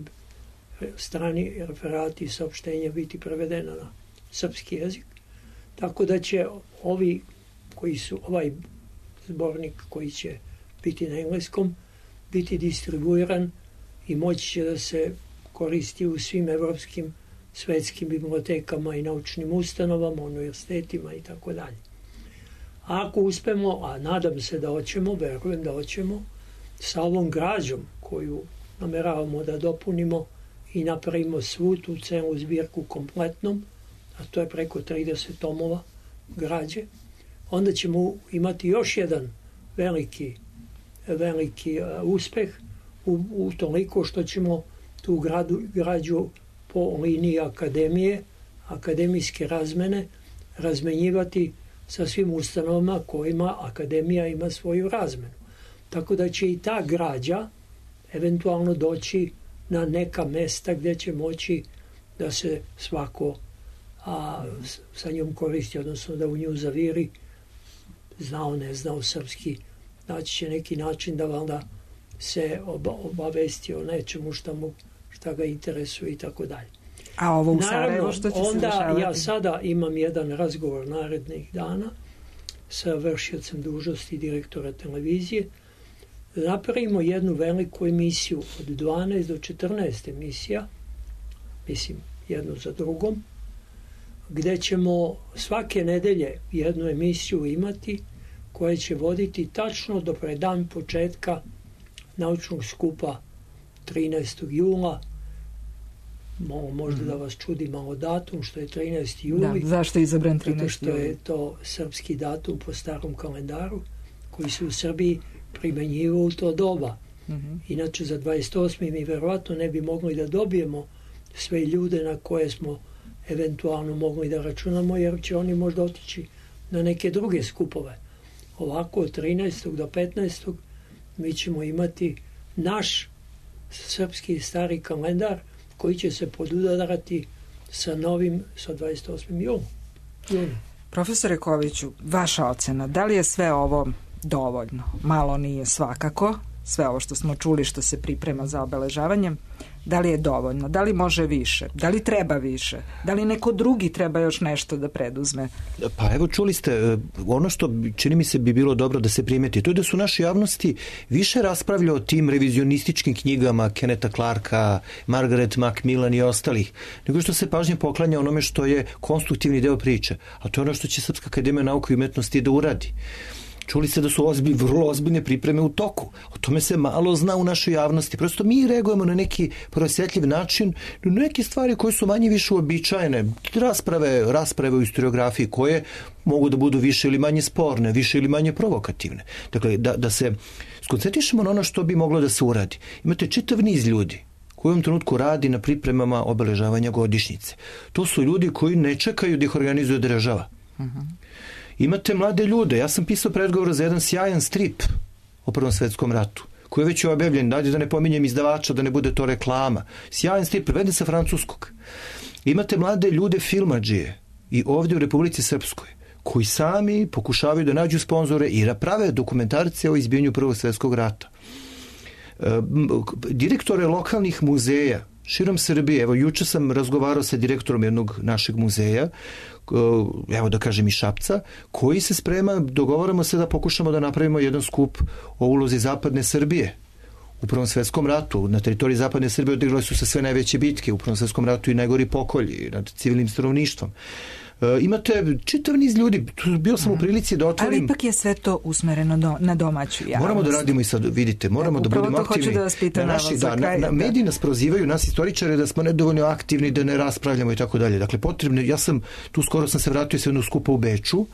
strani referati i saopštenja biti prevedena na srpski jezik. Tako da će ovi koji su, ovaj zbornik koji će biti na engleskom, biti distribuiran i moći će da se koristi u svim evropskim, svetskim bibliotekama i naučnim ustanovama, univerzitetima i tako dalje. Ako uspemo, a nadam se da hoćemo, verujem da hoćemo, sa ovom građom koju nameravamo da dopunimo i napravimo svu tu celu zbirku kompletnom, a to je preko trideset tomova građe, onda ćemo imati još jedan veliki, veliki uspeh u, u toliko što ćemo tu gradu, građu po liniji akademije, akademijske razmene, razmenjivati sa svim ustanovama kojima akademija ima svoju razmenu. Tako da će i ta građa eventualno doći na neka mesta gdje će moći da se svako a, sa njom koristi, odnosno da u nju zaviri, znao, ne znao srpski, naći će neki način da valjda se obavesti o nečemu šta, mu, šta ga interesuje i tako dalje. A ovo u Sarajevo što će se dešavati? Onda ja sada imam jedan razgovor narednih dana sa vršiocem dužnosti direktora televizije, da napravimo jednu veliku emisiju od dvanaest do četrnaest emisija, mislim jednu za drugom, gde ćemo svake nedelje jednu emisiju imati koja će voditi tačno do predan početka naučnog skupa trinaestog jula. Možda da vas čudi malo datum, što je trinaesti juli. Da, zašto je izabran trinaesti juli? Zato što je to srpski datum po starom kalendaru, koji se u Srbiji primenjivao u to doba. Mm-hmm. Inače, za dvadeset osmi mi verovatno ne bi mogli da dobijemo sve ljude na koje smo eventualno mogli da računamo, jer će oni možda otići na neke druge skupove. Ovako, od trinaestog do petnaestog mi ćemo imati naš srpski stari kalendar koji će se podudarati sa novim, sa dvadeset osmim julom. Profesore Koviću, vaša ocena, da li je sve ovo dovoljno? Malo nije svakako, sve ovo što smo čuli što se priprema za obeležavanje, da li je dovoljno, da li može više, da li treba više, da li neko drugi treba još nešto da preduzme? Pa evo čuli ste, ono što čini mi se bi bilo dobro da se primeti, to je da su naše javnosti više raspravljaju o tim revizionističkim knjigama Kenneta Clarka, Margaret Macmillan i ostalih, nego što se pažnje poklanja onome što je konstruktivni deo priče, a to je ono što će Srpska akademija nauke i umetnosti da uradi. Čuli ste da su ozbilj, vrlo ozbiljne pripreme u toku. O tome se malo zna u našoj javnosti. Prosto mi reagujemo na neki prosjetljiv način, na neke stvari koje su manje više uobičajene. Rasprave, rasprave u historiografiji koje mogu da budu više ili manje sporne, više ili manje provokativne. Dakle, da, da se skoncentrišemo na ono što bi moglo da se uradi. Imate čitav niz ljudi koji u ovom trenutku radi na pripremama obeležavanja godišnjice. To su ljudi koji ne čekaju da ih organizuje država. Uh-huh. Imate mlade ljude. Ja sam pisao predgovor za jedan sjajan strip o Prvom svetskom ratu, koji je već objavljen, da ne pominjem izdavača, da ne bude to reklama. Sjajan strip, preveden sa francuskog. Imate mlade ljude filmadžije i ovdje u Republici Srpskoj, koji sami pokušavaju da nađu sponzore i prave dokumentarce o izbijanju Prvog svjetskog rata. Direktore lokalnih muzeja Širom Srbije. Evo, juče sam razgovarao sa direktorom jednog našeg muzeja, evo da kažem i Šapca, koji se sprema, dogovaramo se da pokušamo da napravimo jedan skup o ulozi zapadne Srbije u Prvom svetskom ratu. Na teritoriji zapadne Srbije odigrale su se sve najveće bitke u Prvom svetskom ratu i najgori pokolji nad civilnim stanovništvom. E, imate čitav niz ljudi, bio sam u prilici da otvorim... Ali ipak je sve to usmereno do, na domaću javnost. Moramo da radimo i sad, vidite, moramo da budemo aktivni. Da vas pitam na naši, da, kraj, na, na, mediji nas prozivaju, nas istoričare, da smo nedovoljno aktivni, da ne raspravljamo i tako dalje. Dakle, potrebno, ja sam, tu skoro sam se vratio sa jednog skupa u Beču,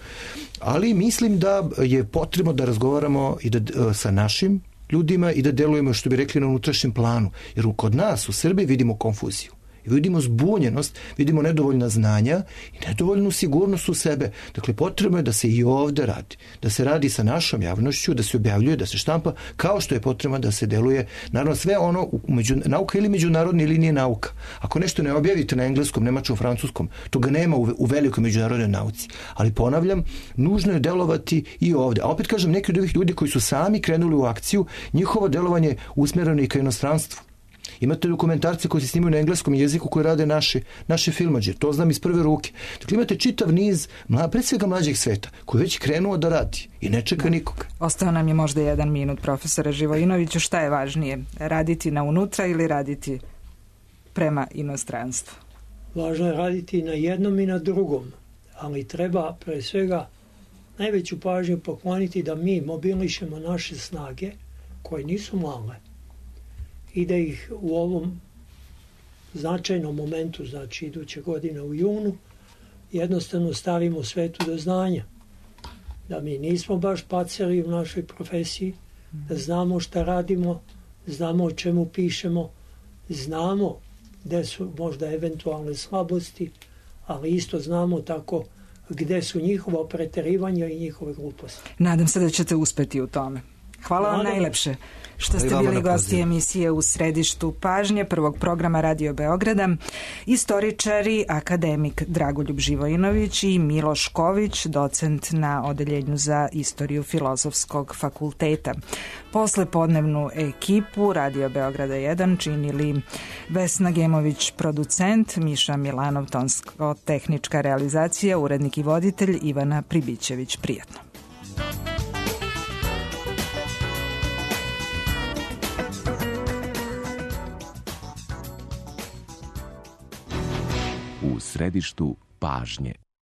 ali mislim da je potrebno da razgovaramo i da, sa našim ljudima i da delujemo, što bi rekli, na unutrašnjem planu. Jer kod nas u Srbiji vidimo konfuziju. Vidimo zbunjenost, vidimo nedovoljna znanja i nedovoljnu sigurnost u sebe. Dakle, potrebno je da se i ovde radi. Da se radi sa našom javnošću, da se objavljuje, da se štampa, kao što je potrebno da se deluje, naravno, sve ono, među, nauka ili međunarodne ili nije nauka. Ako nešto ne objavite na engleskom, nemačkom, francuskom, toga nema u, u velikoj međunarodnoj nauci. Ali ponavljam, nužno je delovati i ovde. A opet kažem, neki od ovih ljudi koji su sami krenuli u akciju, njihovo delovanje usmereno i ka inostranstvu. Imate dokumentarce koji se snimaju na engleskom jeziku koji rade naši, naši filmađe. To znam iz prve ruke. Dakle, imate čitav niz, mla, pre svega mlađeg sveta, koji već krenuo da radi i ne čeka nikoga. Ostao nam je možda jedan minut, profesore Živojinoviću. Šta je važnije? Raditi na unutra ili raditi prema inostranstvu? Važno je raditi na jednom i na drugom, ali treba pre svega najveću pažnju pokloniti da mi mobilišemo naše snage, koje nisu male, i da ih u ovom značajnom momentu, znači iduće godine u junu, jednostavno stavimo svetu do znanja. Da mi nismo baš paceli u našoj profesiji, da znamo šta radimo, znamo o čemu pišemo, znamo gde su možda eventualne slabosti, ali isto znamo tako gde su njihova preterivanja i njihove gluposti. Nadam se da ćete uspeti u tome. Hvala vam najlepše što ste bili gosti emisije U središtu pažnje prvog programa Radio Beograda. Istoričari, akademik Dragoljub Živojinović i Miloš Ković, docent na Odeljenju za istoriju Filozofskog fakulteta. Posle podnevnu ekipu Radio Beograda jedan činili Vesna Gemović, producent, Miša Milanov, tonsko-tehnička realizacija, urednik i voditelj Ivana Pribićević. Prijatno. U središtu pažnje.